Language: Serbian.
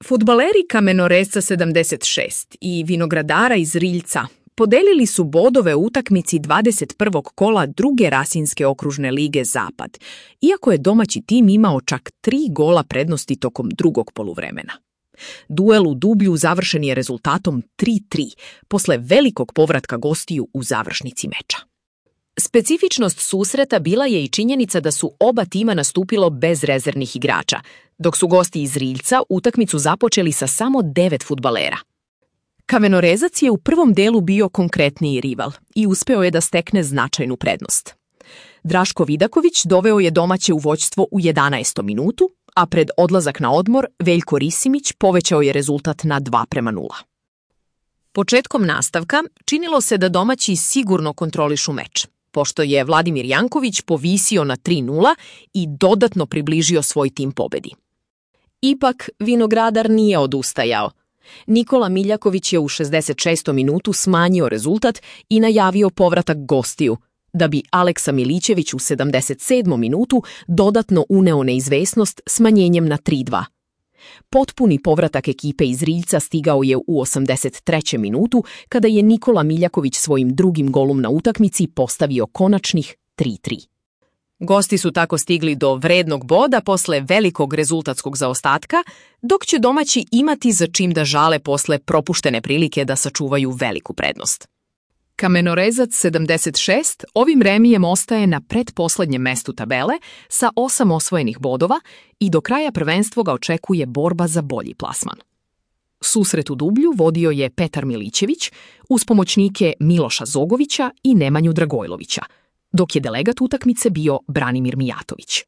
Fudbaleri Kamenorezca 76 i Vinogradara iz Riljca podelili su bodove u utakmici 21. kola druge Rasinske okružne lige Zapad, iako je domaći tim imao čak 3 gola prednosti tokom drugog poluvremena. Duel u Dublju završen je rezultatom 3:3 posle velikog povratka gostiju u završnici meča. Specifičnost susreta bila je i činjenica da su oba tima nastupilo bez rezervnih igrača, dok su gosti iz Riljca utakmicu započeli sa samo 9 fudbalera. Kamenorezac je u prvom delu bio konkretniji rival i uspeo je da stekne značajnu prednost. Draško Vidaković doveo je domaće u vođstvo u 11. minutu, a pred odlazak na odmor Veljko Risimić povećao je rezultat na 2:0. Početkom nastavka činilo se da domaći sigurno kontrolišu meč, pošto je Vladimir Janković povisio na 3:0 i dodatno približio svoj tim pobedi. Ipak, Vinogradar nije odustajao. Nikola Miljaković je u 66. minutu smanjio rezultat i najavio povratak gostiju, da bi Aleksa Milićević u 77. minutu dodatno uneo neizvesnost smanjenjem na 3:2. Potpuni povratak ekipe iz Riljca stigao je u 83. minutu, kada je Nikola Miljaković svojim drugim golom na utakmici postavio konačnih 3:3. Gosti su tako stigli do vrednog boda posle velikog rezultatskog zaostatka, dok će domaći imati za čim da žale posle propuštene prilike da sačuvaju veliku prednost. Kamenorezac 76 ovim remijem ostaje na pretposlednjem mestu tabele sa 8 osvojenih bodova i do kraja prvenstva ga očekuje borba za bolji plasman. Susret u Dublju vodio je Petar Milićević uz pomoćnike Miloša Zogovića i Nemanju Dragojlovića, dok je delegat utakmice bio Branimir Mijatović.